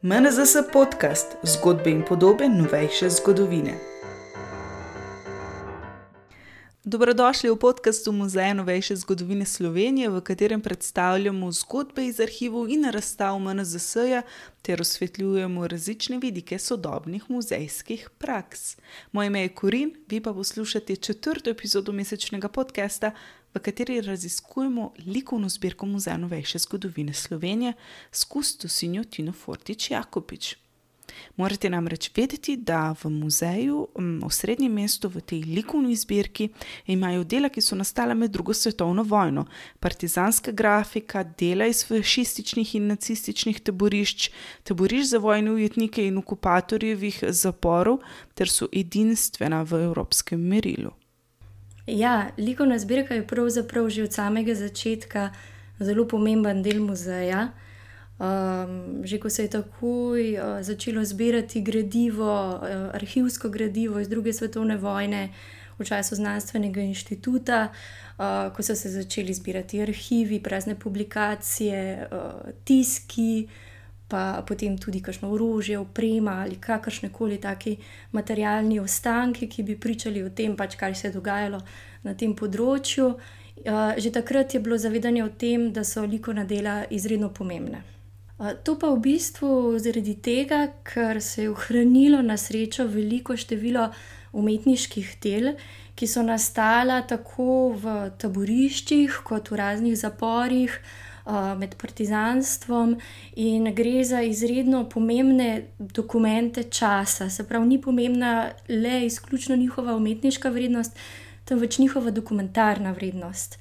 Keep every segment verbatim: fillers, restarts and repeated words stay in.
M N Z S podcast, zgodbe in podobe novejše zgodovine. Dobrodošli v podcastu Muzeja novejše zgodovine Slovenije, v katerem predstavljamo zgodbe iz arhivov in razstav M N Z S-ja ter osvetljujemo različne vidike sodobnih muzejskih praks. Moje ime je Korin, vi pa poslušate četrto epizodo mesečnega podcasta, v kateri raziskujemo likovno zbirko Muzeja novejše zgodovine Slovenije s kustosinjo Tino Fortič Jakopič. Morate namreč vedeti, da v muzeju, v srednjem mestu, v tej likovni zbirki, imajo dela, ki so nastala med drugo svetovno vojno, partizanska grafika, dela iz fašističnih in nacističnih taborišč, taborišč za vojne ujetnike in okupatorjevih zaporov, ter so edinstvena v evropskem merilu. Ja, likovna zbirka je pravzaprav že od samega začetka zelo pomemben del muzeja. Um, že ko se je takoj uh, začelo zbirati gradivo, uh, arhivsko gradivo iz druge svetovne vojne v času znanstvenega inštituta, uh, ko so se začeli zbirati arhivi, prazne publikacije, uh, tiski, pa potem tudi kakšno orožje, oprema ali kakršnekoli taki materialni ostanki, ki bi pričali o tem, pač kaj se je dogajalo na tem področju. Uh, že takrat je bilo zavedanje o tem, da so likovna dela izredno pomembne. To pa v bistvu zaradi tega, ker se je ohranilo na srečo veliko število umetniških del, ki so nastala tako v taboriščih kot v raznih zaporih med partizanstvom, in gre za izredno pomembne dokumente časa. Se pravi, ni pomembna le izključno njihova umetniška vrednost, temveč njihova dokumentarna vrednost.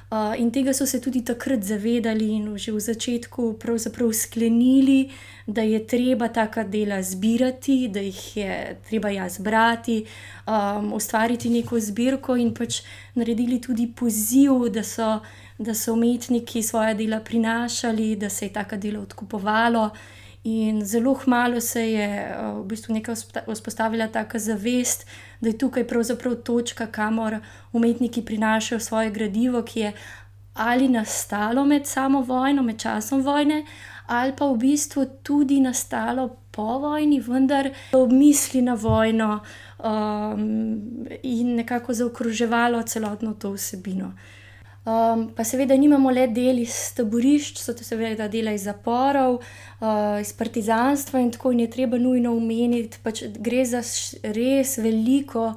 Uh, in tega so se tudi takrat zavedali in že v začetku pravzaprav sklenili, da je treba taka dela zbirati, da jih je treba jaz brati, um, ustvariti neko zbirko in pač naredili tudi poziv, da so, da so umetniki svoja dela prinašali, da se je taka dela odkupovalo. In zelo kmalu se je uh, v bistvu nekaj vzpostavila taka zavest, da je tukaj pravzaprav točka, kamor umetniki prinašajo svoje gradivo, ki je ali nastalo med samo vojno, med časom vojne, ali pa v bistvu tudi nastalo po vojni, vendar ob misli na vojno um, in nekako zaokroževalo celotno to vsebino. Um, pa seveda nimamo le del iz taborišč, so to seveda dela iz zaporov, uh, iz partizanstva in tako, in je treba nujno omeniti, pač gre za res veliko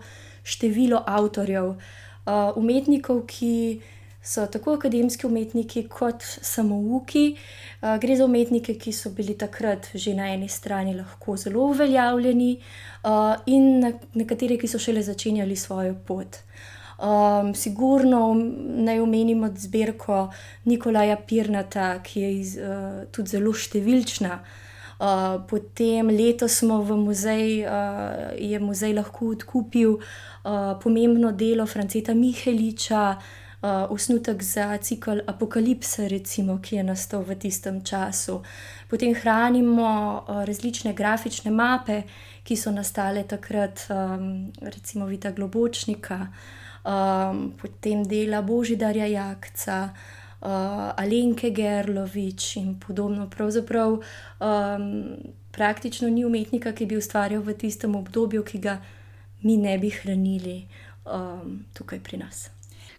število avtorjev, uh, umetnikov, ki so tako akademski umetniki kot samouki. Uh, gre za umetnike, ki so bili takrat že na eni strani lahko zelo uveljavljeni uh, in nekateri, ki so šele začenjali svojo pot. Um, sigurno naj omenimo zbirko Nikolaja Pirnata, ki je iz, uh, tudi zelo številčna. Uh, potem letos smo v muzej, uh, je muzej lahko odkupil uh, pomembno delo Franceta Miheliča, uh, osnutek za cikel Apokalipsa, recimo, ki je nastal v tistem času. Potem hranimo uh, različne grafične mape, ki so nastale takrat, um, recimo Vita Globočnika, Um, potem dela Božidarja Jakca, uh, Alenke Gerlovič in podobno. Pravzaprav um, praktično ni umetnika, ki bi ustvarjal v tistem obdobju, ki ga mi ne bi hranili um, tukaj pri nas.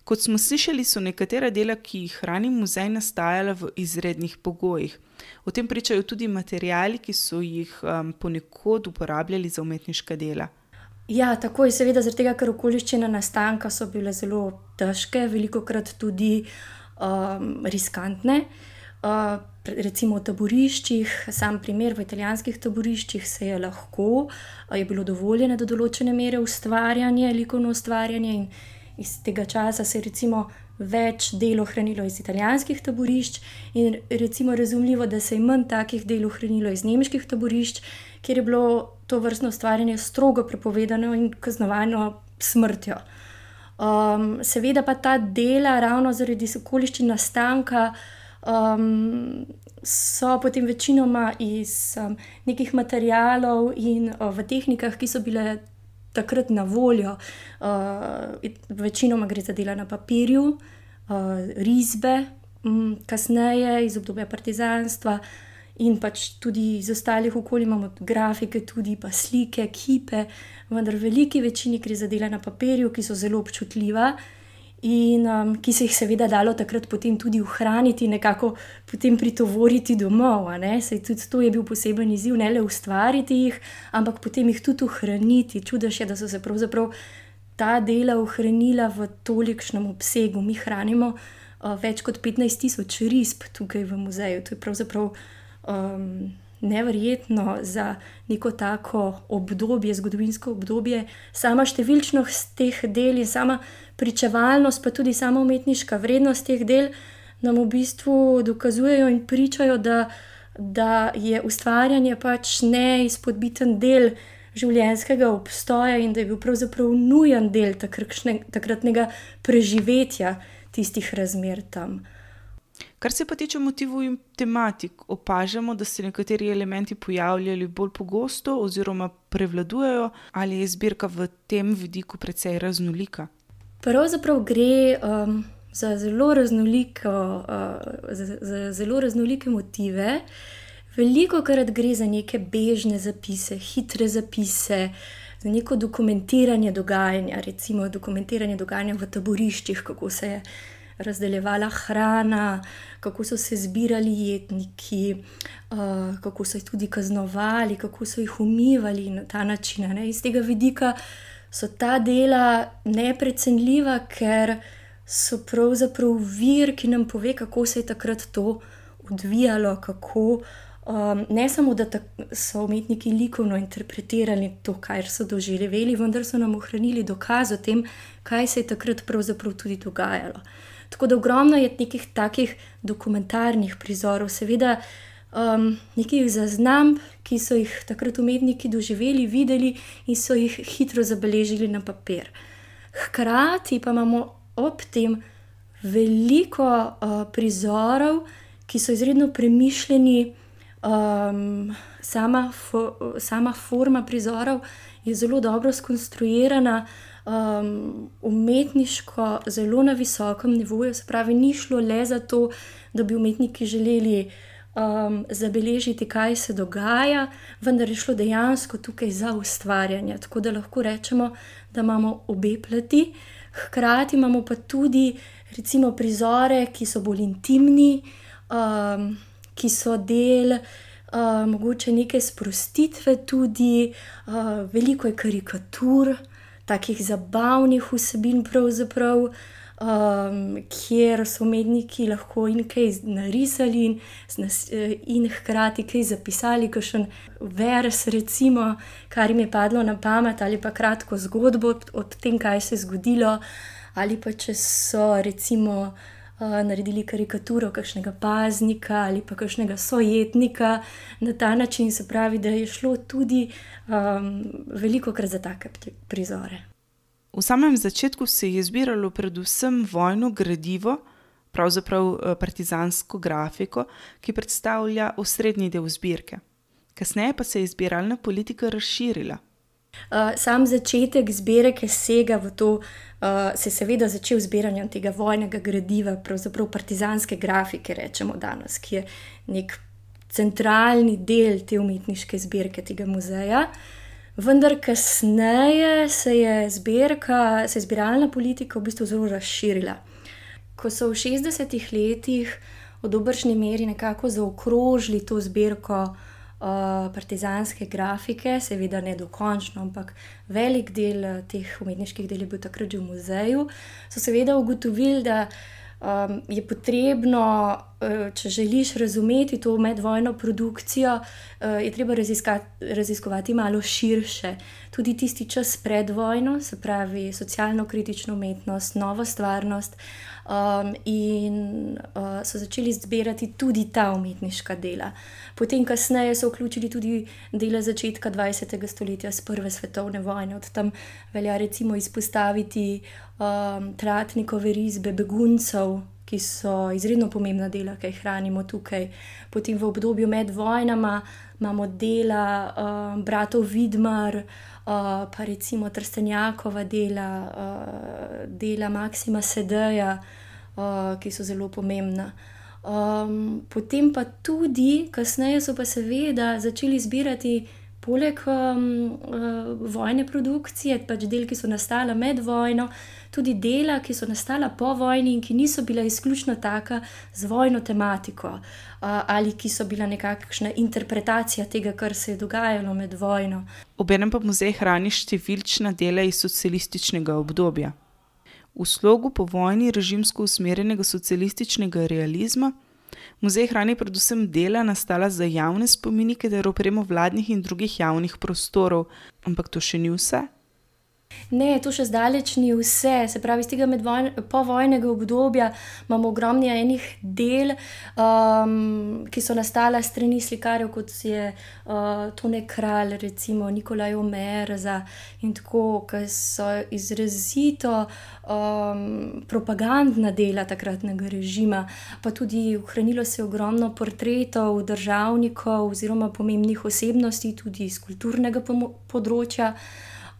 Kot smo slišali, so nekatera dela, ki jih hrani muzej, nastajala v izrednih pogojih. O tem pričajo tudi materiali, ki so jih um, ponekod uporabljali za umetniška dela. Ja, tako je, seveda, zaradi tega, ker okoliščine nastanka so bile zelo težke, velikokrat tudi um, riskantne. Uh, recimo v taboriščih, sam primer, v italijanskih taboriščih se je lahko, je bilo dovoljeno do določene mere ustvarjanje, likovno ustvarjanje, in iz tega časa se je recimo več del ohranilo iz italijanskih taborišč in recimo razumljivo, da se je manj takih del ohranilo iz nemških taborišč, kjer je bilo to vrstno ustvarjanje strogo prepovedano in kaznovano smrtjo. Um, seveda pa ta dela, ravno zaradi okoliščin nastanka, um, so potem večinoma iz um, nekih materialov in uh, v tehnikah, ki so bile takrat na voljo. Uh, večinoma gre za dela na papirju, uh, risbe, um, kasneje iz obdobja partizanstva, in pač tudi iz ostalih okolij imamo grafike, tudi pa slike, kipe, vendar v veliki večini gre za dela na papirju, ki so zelo občutljiva in um, ki se jih seveda dalo takrat potem tudi ohraniti, nekako potem pritovoriti domov. Saj tudi to je bil poseben izziv, ne le ustvariti jih, ampak potem jih tudi ohraniti. Čudež je, da so se pravzaprav ta dela ohranila v tolikšnem obsegu. Mi hranimo uh, več kot petnajst tisoč risb tukaj v muzeju. To je pravzaprav um, neverjetno za neko tako obdobje, zgodovinsko obdobje. Sama številčnost teh del in sama pričevalnost, pa tudi sama umetniška vrednost teh del nam v bistvu dokazujejo in pričajo, da, da je ustvarjanje pač neizpodbiten del življenjskega obstoja in da je bil pravzaprav nujen del takršne, takratnega preživetja tistih razmer tam. Kar se pa tiče motivov in tematik, opažamo, da se nekateri elementi pojavljali bolj pogosto oziroma prevladujejo, ali je zbirka v tem vidiku precej raznolika? Pravzaprav gre um, za, zelo raznoliko, uh, za, za zelo raznolike motive. Velikokrat gre za neke bežne zapise, hitre zapise, za neko dokumentiranje dogajanja, recimo dokumentiranje dogajanja v taboriščih, kako se je razdeljevala hrana, kako so se zbirali jetniki, uh, kako so jih tudi kaznovali, kako so jih umivali na ta način. Ne? Iz tega vidika so ta dela neprecenljiva, ker so pravzaprav vir, ki nam pove, kako se je takrat to odvijalo, kako um, ne samo, da so umetniki likovno interpretirali to, kar so doživeli, vendar so nam ohranili dokaz o tem, kaj se je takrat pravzaprav tudi dogajalo. Tako da ogromno je nekih takih dokumentarnih prizorov, seveda um, nekih zaznamb, ki so jih takrat umetniki doživeli, videli in so jih hitro zabeležili na papir. Hkrati pa imamo ob tem veliko uh, prizorov, ki so izredno premišljeni. Um, sama, fo, sama forma prizorov je zelo dobro skonstruirana, um, umetniško zelo na visokem nivoju, se pravi, ni šlo le za to, da bi umetniki želeli um, zabeležiti, kaj se dogaja, vendar je šlo dejansko tukaj za ustvarjanje, tako da lahko rečemo, da imamo obe plati. Hkrati imamo pa tudi recimo prizore, ki so bolj intimni, um, ki so del uh, mogoče neke sprostitve tudi, uh, veliko je karikatur, takih zabavnih vsebin pravzaprav, um, kjer so umetniki lahko in kaj narisali in, in hkrati kaj zapisali, kakšen vers recimo, kar jim je padlo na pamet, ali pa kratko zgodbo o tem, kaj se je zgodilo, ali pa če so recimo Uh, naredili karikaturo kakšnega paznika ali pa kakšnega sojetnika. Na ta način se pravi, da je šlo tudi um, velikokrat za take prizore. V samem začetku se je zbiralo predvsem vojno gradivo, pravzaprav partizansko grafiko, ki predstavlja osrednji del zbirke. Kasneje pa se je zbiralna politika razširila. Uh, sam začetek zbirke sega v to, uh, se je seveda začel zbiranjem tega vojnega gradiva, pravzaprav partizanske grafike, rečemo danes, ki je nek centralni del te umetniške zbirke tega muzeja. Vendar kasneje se je zbirka, se je zbiralna politika v bistvu zelo razširila. Ko so v šestdesetih letih v dobršni meri nekako zaokrožili to zbirko Uh, partizanske grafike, seveda ne dokončno, ampak velik del uh, teh umetniških del je bil takrat že v muzeju, so seveda ugotovili, da um, je potrebno, uh, če želiš razumeti to medvojno produkcijo, uh, je treba raziskovati malo širše. Tudi tisti čas pred vojno, se pravi socialno-kritično umetnost, novo stvarnost, um, in uh, so začeli zbirati tudi ta umetniška dela. Potem kasneje so vključili tudi dela začetka dvajsetega stoletja s prve svetovne vojne. Od tam velja recimo izpostaviti um, Tratnikove risbe beguncev, ki so izredno pomembna dela, ki jih hranimo tukaj. Potem v obdobju med vojnama imamo dela um, bratov Vidmar, uh, pa recimo Trstenjakova dela, uh, dela Maksima Sedeja, uh, ki so zelo pomembna. Um, potem pa tudi, kasneje so pa seveda začeli zbirati poleg um, uh, vojne produkcije, pač del, ki so nastala med vojno, tudi dela, ki so nastala po vojni in ki niso bila izključno taka z vojno tematiko, uh, ali ki so bila nekakšna interpretacija tega, kar se je dogajalo med vojno. Obenem pa muzej hrani številčna dela iz socialističnega obdobja. V slogu po vojni režimsko usmerjenega socialističnega realizma muzej hrani predvsem dela nastala za javne spomenike ter opremo vladnih in drugih javnih prostorov, ampak to še ni vse. Ne, to še zdaleč ni vse. Se pravi, iz tega povojnega obdobja imamo ogromno enih del, um, ki so nastala strani slikarjev, kot je uh, Tone Kralj, recimo Nikolaj Omerza in tako, ki so izrazito um, propagandna dela takratnega režima, pa tudi ohranilo se ogromno portretov državnikov oziroma pomembnih osebnosti tudi iz kulturnega področja. Uh,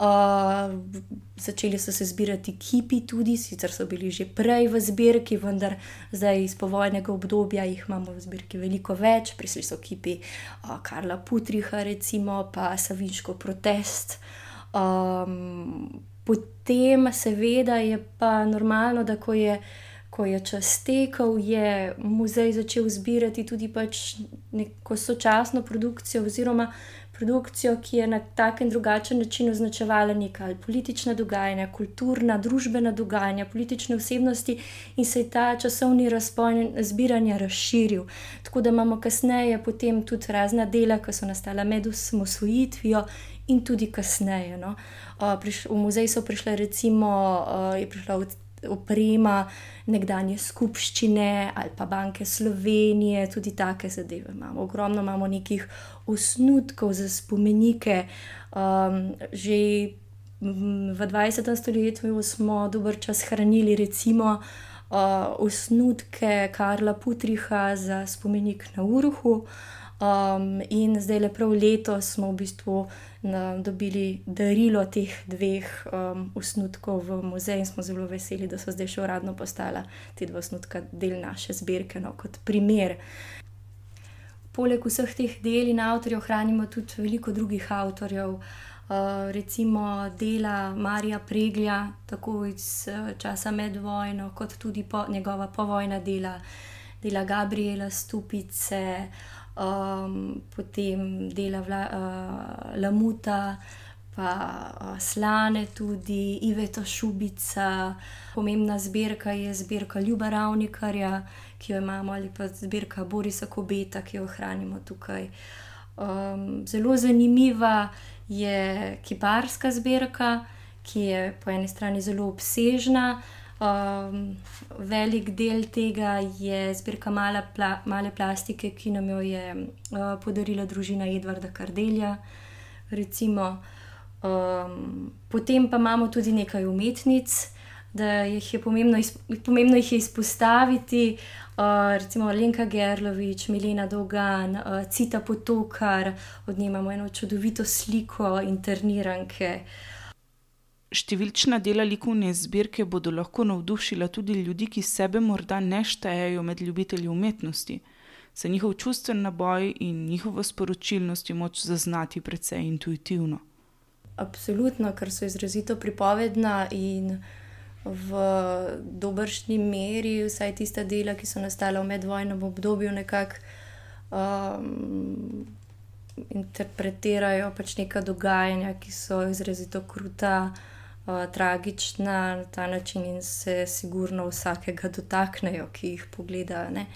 začeli so se zbirati kipi tudi, sicer so bili že prej v zbirki, vendar zdaj iz povojnega obdobja jih imamo v zbirki veliko več. Prišli so kipi uh, Karla Putriha recimo, pa Savinškov protest. Um, potem seveda je pa normalno, da ko je, ko je čas tekel, je muzej začel zbirati tudi pač neko sočasno produkcijo oziroma produkcijo, ki je na tak in drugačen način označevala neka politična dogajanja, kulturna, družbena dogajanja, politične osebnosti in se je ta časovni razpon zbiranja razširil. Tako da imamo kasneje potem tudi razna dela, ki so nastala med osamosvojitvijo in tudi kasneje. No. V muzej so prišle recimo, je prišla oprema nekdanje skupščine ali pa Banke Slovenije, tudi take zadeve imamo. Ogromno imamo nekih osnutkov za spomenike. Um, že v dvajsetem stoletju smo dober čas hranili recimo uh, osnutke Karla Putriha za spomenik na Urohu. Um, in zdaj le prav letos smo v bistvu na, dobili darilo teh dveh um, osnutkov v muzej in smo zelo veseli, da so zdaj še uradno postala te dva osnutka del naše zbirke, no, kot primer. Poleg vseh teh del in avtorjev hranimo tudi veliko drugih avtorjev, uh, recimo dela Marija Preglja, tako iz uh, časa med vojno, kot tudi po, njegova povojna dela, dela Gabriela Stupice, Um, potem dela Vla, uh, Lamuta, pa uh, Slane tudi, Iveta Šubica. Pomembna zbirka je zbirka Ljuba Ravnikarja, ki jo imamo, ali pa zbirka Borisa Kobeta, ki jo hranimo tukaj. Um, zelo zanimiva je kiparska zbirka, ki je po eni strani zelo obsežna. Um, velik del tega je zbirka mala pla, male plastike, ki nam jo je uh, podarila družina Edvarda Kardelja. Recimo. Um, potem pa imamo tudi nekaj umetnic, da jih je pomembno, izp, pomembno jih je izpostaviti. Uh, recimo Lenka Gerlovič, Milena Dolgan, uh, Cita Potokar, od nje imamo eno čudovito sliko interniranke. Številčna dela likovne zbirke bodo lahko navdušila tudi ljudi, ki sebe morda ne štejejo med ljubitelji umetnosti, saj njihov čustven naboj in njihova sporočilnost je moč zaznati precej intuitivno. Absolutno, ker so izrazito pripovedna in v dobršni meri vsaj tista dela, ki so nastala v medvojnem obdobju, nekako um, interpretirajo pač neka dogajanja, ki so izrazito kruta, Uh, tragična na ta način in se sigurno vsakega dotaknejo, ki jih pogleda. Ne?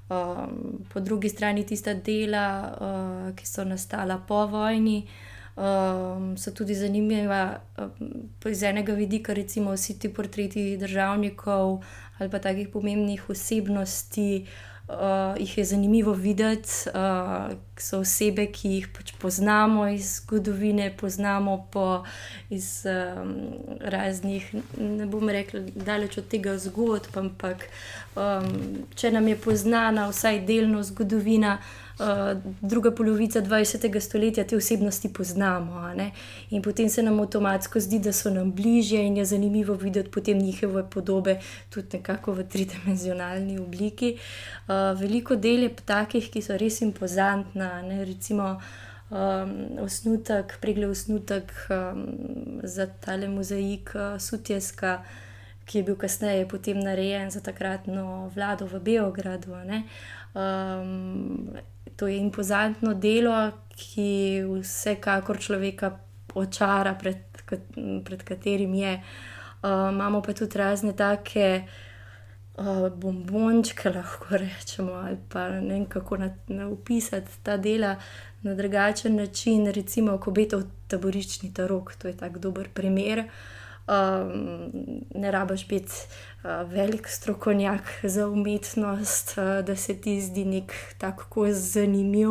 Um, po drugi strani tista dela, uh, ki so nastala po vojni, um, so tudi zanimiva um, iz enega vidika, recimo vsi ti portreti državnikov ali pa takih pomembnih osebnosti. Uh, jih je zanimivo videti, uh, so osebe, ki jih pač poznamo iz zgodovine, poznamo po iz um, raznih, ne bom rekla, daleč od tega zgodb, ampak um, če nam je poznana vsaj delno zgodovina, uh, druga polovica dvajsetega stoletja te osebnosti poznamo. A ne? In potem se nam avtomatsko zdi, da so nam bližje in je zanimivo videti potem njihove podobe tudi nekako v tridimenzionalni obliki. Uh, veliko del je takih, ki so res impozantna, ne? Recimo Um, osnutek, pregled osnutek um, za tale mozaik uh, Sutjeska, ki je bil kasneje potem narejen za takratno vlado v Beogradu. Um, to je impozantno delo, ki vsekakor človeka očara, pred, pred katerim je. Uh, imamo pa tudi razne take uh, bombončke, lahko rečemo, ali pa ne vem, kako na, na opisati ta dela na drugačen način, recimo Kobetov taboriščni tarok, to je tak dober primer. Um, ne rabiš biti uh, velik strokovnjak za umetnost, uh, da se ti zdi nek tako zanimiv.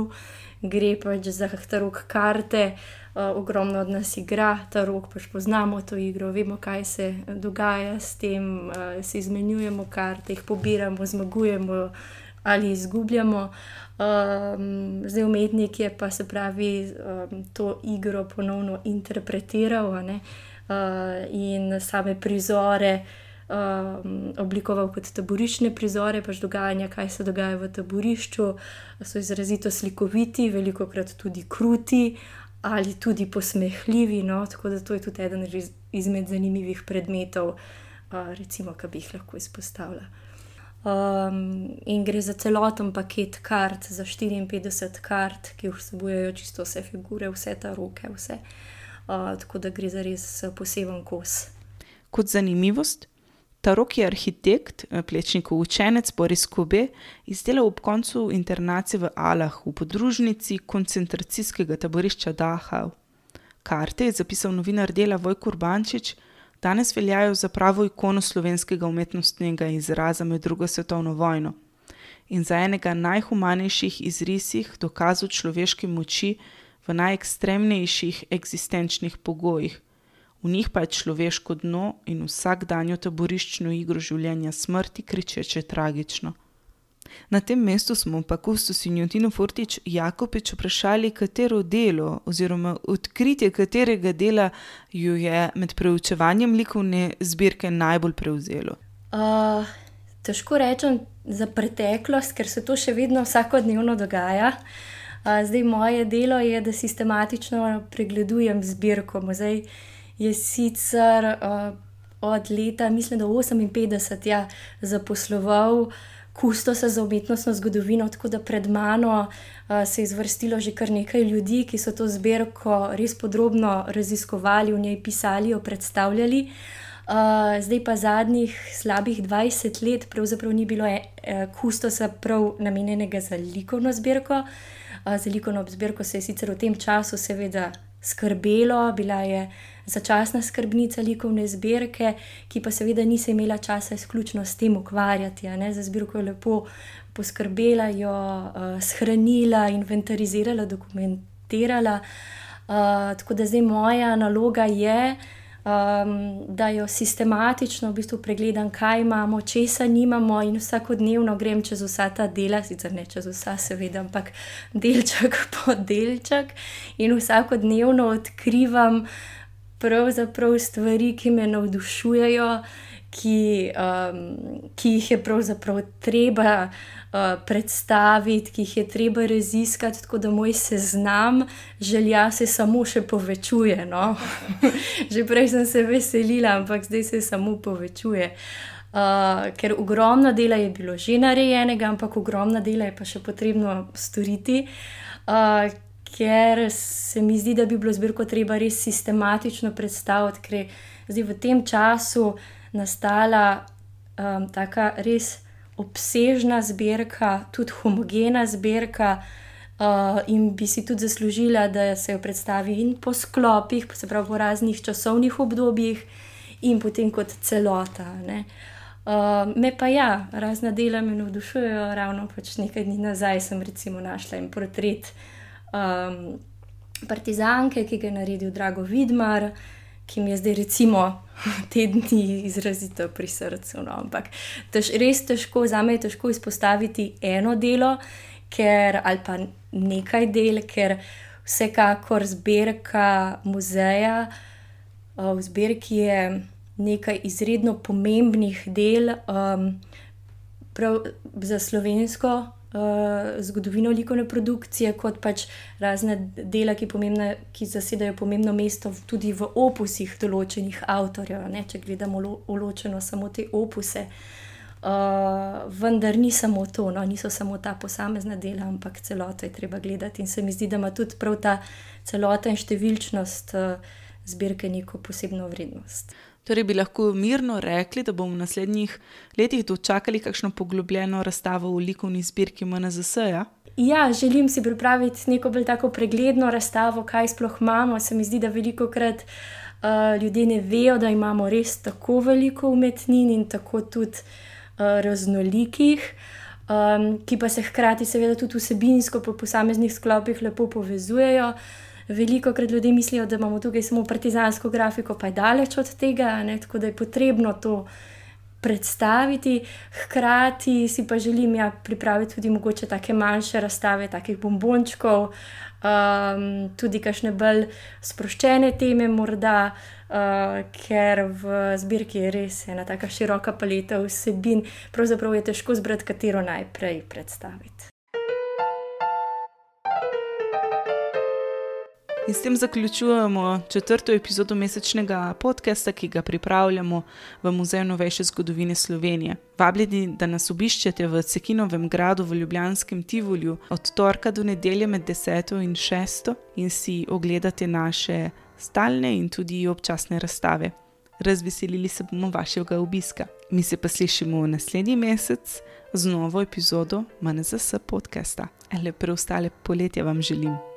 Gre pač za tarok karte, uh, ogromno od nas igra tarok, pač poznamo to igro, vemo, kaj se dogaja s tem, uh, se izmenjujemo karte, jih pobiramo, zmagujemo ali izgubljamo. Um, zdaj umetnik je pa se pravi um, to igro ponovno interpretiral, a ne, uh, in same prizore um, oblikoval kot taboriščne prizore, pač dogajanja, kaj se dogaja v taborišču, so izrazito slikoviti, velikokrat tudi kruti ali tudi posmehljivi, no, tako da to je tudi eden izmed zanimivih predmetov, uh, recimo, ki bi jih lahko izpostavila. Um, in gre za celoten paket kart, za štiriinpetdeset kart, ki vsebujejo čisto vse figure, vse taroke, vse. Uh, tako da gre za res poseben kos. Kot zanimivost, tarok je arhitekt, Plečnikov učenec Boris Kobe izdelal ob koncu internacije v Alah v podružnici koncentracijskega taborišča Dachau. Karte je zapisal novinar Dela Vojko Urbančič, danes veljajo za pravo ikono slovenskega umetnostnega izraza med drugo svetovno vojno in za enega najhumanejših izrisih dokazov človeške moči v najekstremnejših eksistenčnih pogojih. V njih pa je človeško dno in vsakdanjo taboriščno igro življenja smrti kričeče tragično. Na tem mestu smo pa kustosinjo Tino Fortič Jakopič vprašali, katero delo oziroma odkritje katerega dela jo je med preučevanjem likovne zbirke najbolj prevzelo. Uh, težko rečem za preteklost, ker se to še vedno vsakodnevno dogaja. Uh, zdaj moje delo je, da sistematično pregledujem zbirko. Muzej je sicer uh, od leta, mislim, da oseminpetdeset, ja, zaposloval kustosa za umetnostno zgodovino, tako da pred mano uh, se je izvrstilo že kar nekaj ljudi, ki so to zbirko res podrobno raziskovali, v njej pisali, jo predstavljali. Uh, zdaj pa zadnjih slabih dvajset let pravzaprav ni bilo e, e, kustosa prav namenjenega za likovno zbirko. Uh, za likovno zbirko se je sicer v tem času seveda skrbelo, bila je začasna skrbnica likovne zbirke, ki pa seveda ni se imela časa izključno s tem ukvarjati. A ne? Za zbirko je lepo poskrbela, jo uh, shranila, inventarizirala, dokumentirala. Uh, tako da zdaj moja naloga je, um, da jo sistematično v bistvu pregledam, kaj imamo, česa nimamo, in vsakodnevno grem čez vsa ta dela, sicer ne čez vsa seveda, ampak delček po delček, in vsakodnevno odkrivam pravzaprav stvari, ki me navdušujejo, ki, um, ki jih je pravzaprav treba uh, predstaviti, ki jih je treba raziskati, tako da moj seznam želja se samo še povečuje. No? Že prej sem se veselila, ampak zdaj se samo povečuje. Uh, ker ogromno dela je bilo že narejenega, ampak ogromno dela je pa še potrebno storiti. Uh, ker se mi zdi, da bi bilo zbirko treba res sistematično predstaviti, ker je zdaj v tem času nastala um, taka res obsežna zbirka, tudi homogena zbirka, uh, in bi si tudi zaslužila, da se jo predstavi in po sklopih, se pravi po raznih časovnih obdobjih, in potem kot celota. Ne. Uh, me pa ja, razna dela me navdušujejo, ravno pač nekaj dni nazaj sem recimo našla en portret Um, partizanke, ki ga je naredil Drago Vidmar, ki mi je zdaj recimo te dni izrazito pri srcu. No. Ampak tež, res težko, zame je težko izpostaviti eno delo, ker, ali pa nekaj del, ker vsekakor zbirka muzeja uh, v zbirki je nekaj izredno pomembnih del um, prav za slovensko uh, zgodovino likovne produkcije, kot pač razne dela, ki, pomembne, ki zasedajo pomembno mesto tudi v opusih določenih avtorjev, ne? Če gledamo lo, ločeno samo te opuse. Uh, vendar ni samo to, no? Niso samo ta posamezna dela, ampak celoto je treba gledati in se mi zdi, da ima tudi prav ta celota in številčnost uh, zbirke neko posebno vrednost. Torej bi lahko mirno rekli, da bomo v naslednjih letih dočakali kakšno poglobljeno razstavo v likovni zbirki M N Z S-ja? Ja, želim si pripraviti neko bolj tako pregledno razstavo, kaj sploh imamo. Se mi zdi, da velikokrat uh, ljudje ne vejo, da imamo res tako veliko umetnin in tako tudi uh, raznolikih, um, ki pa se hkrati seveda tudi vsebinsko po posameznih sklopih lepo povezujejo. Velikokrat ljudje mislijo, da imamo tukaj samo partizansko grafiko, pa je daleč od tega, ne? Tako da je potrebno to predstaviti. Hkrati si pa želim ja, pripraviti tudi mogoče take manjše razstave, takih bombončkov, um, tudi kakšne bolj sproščene teme morda, uh, ker v zbirki je res ena taka široka paleta vsebin, pravzaprav je težko zbrati, katero najprej predstaviti. In s tem zaključujemo četrto epizodo mesečnega podcasta, ki ga pripravljamo v Muzeju novejše zgodovine Slovenije. Vabljeni, da nas obiščete v Cekinovem gradu v ljubljanskem Tivoliju od torka do nedelje med deseto in šesto in si ogledate naše stalne in tudi občasne razstave. Razveselili se bomo vašega obiska. Mi se pa slišimo naslednji mesec z novo epizodo M N Z S podcasta. Le preostale poletje vam želim.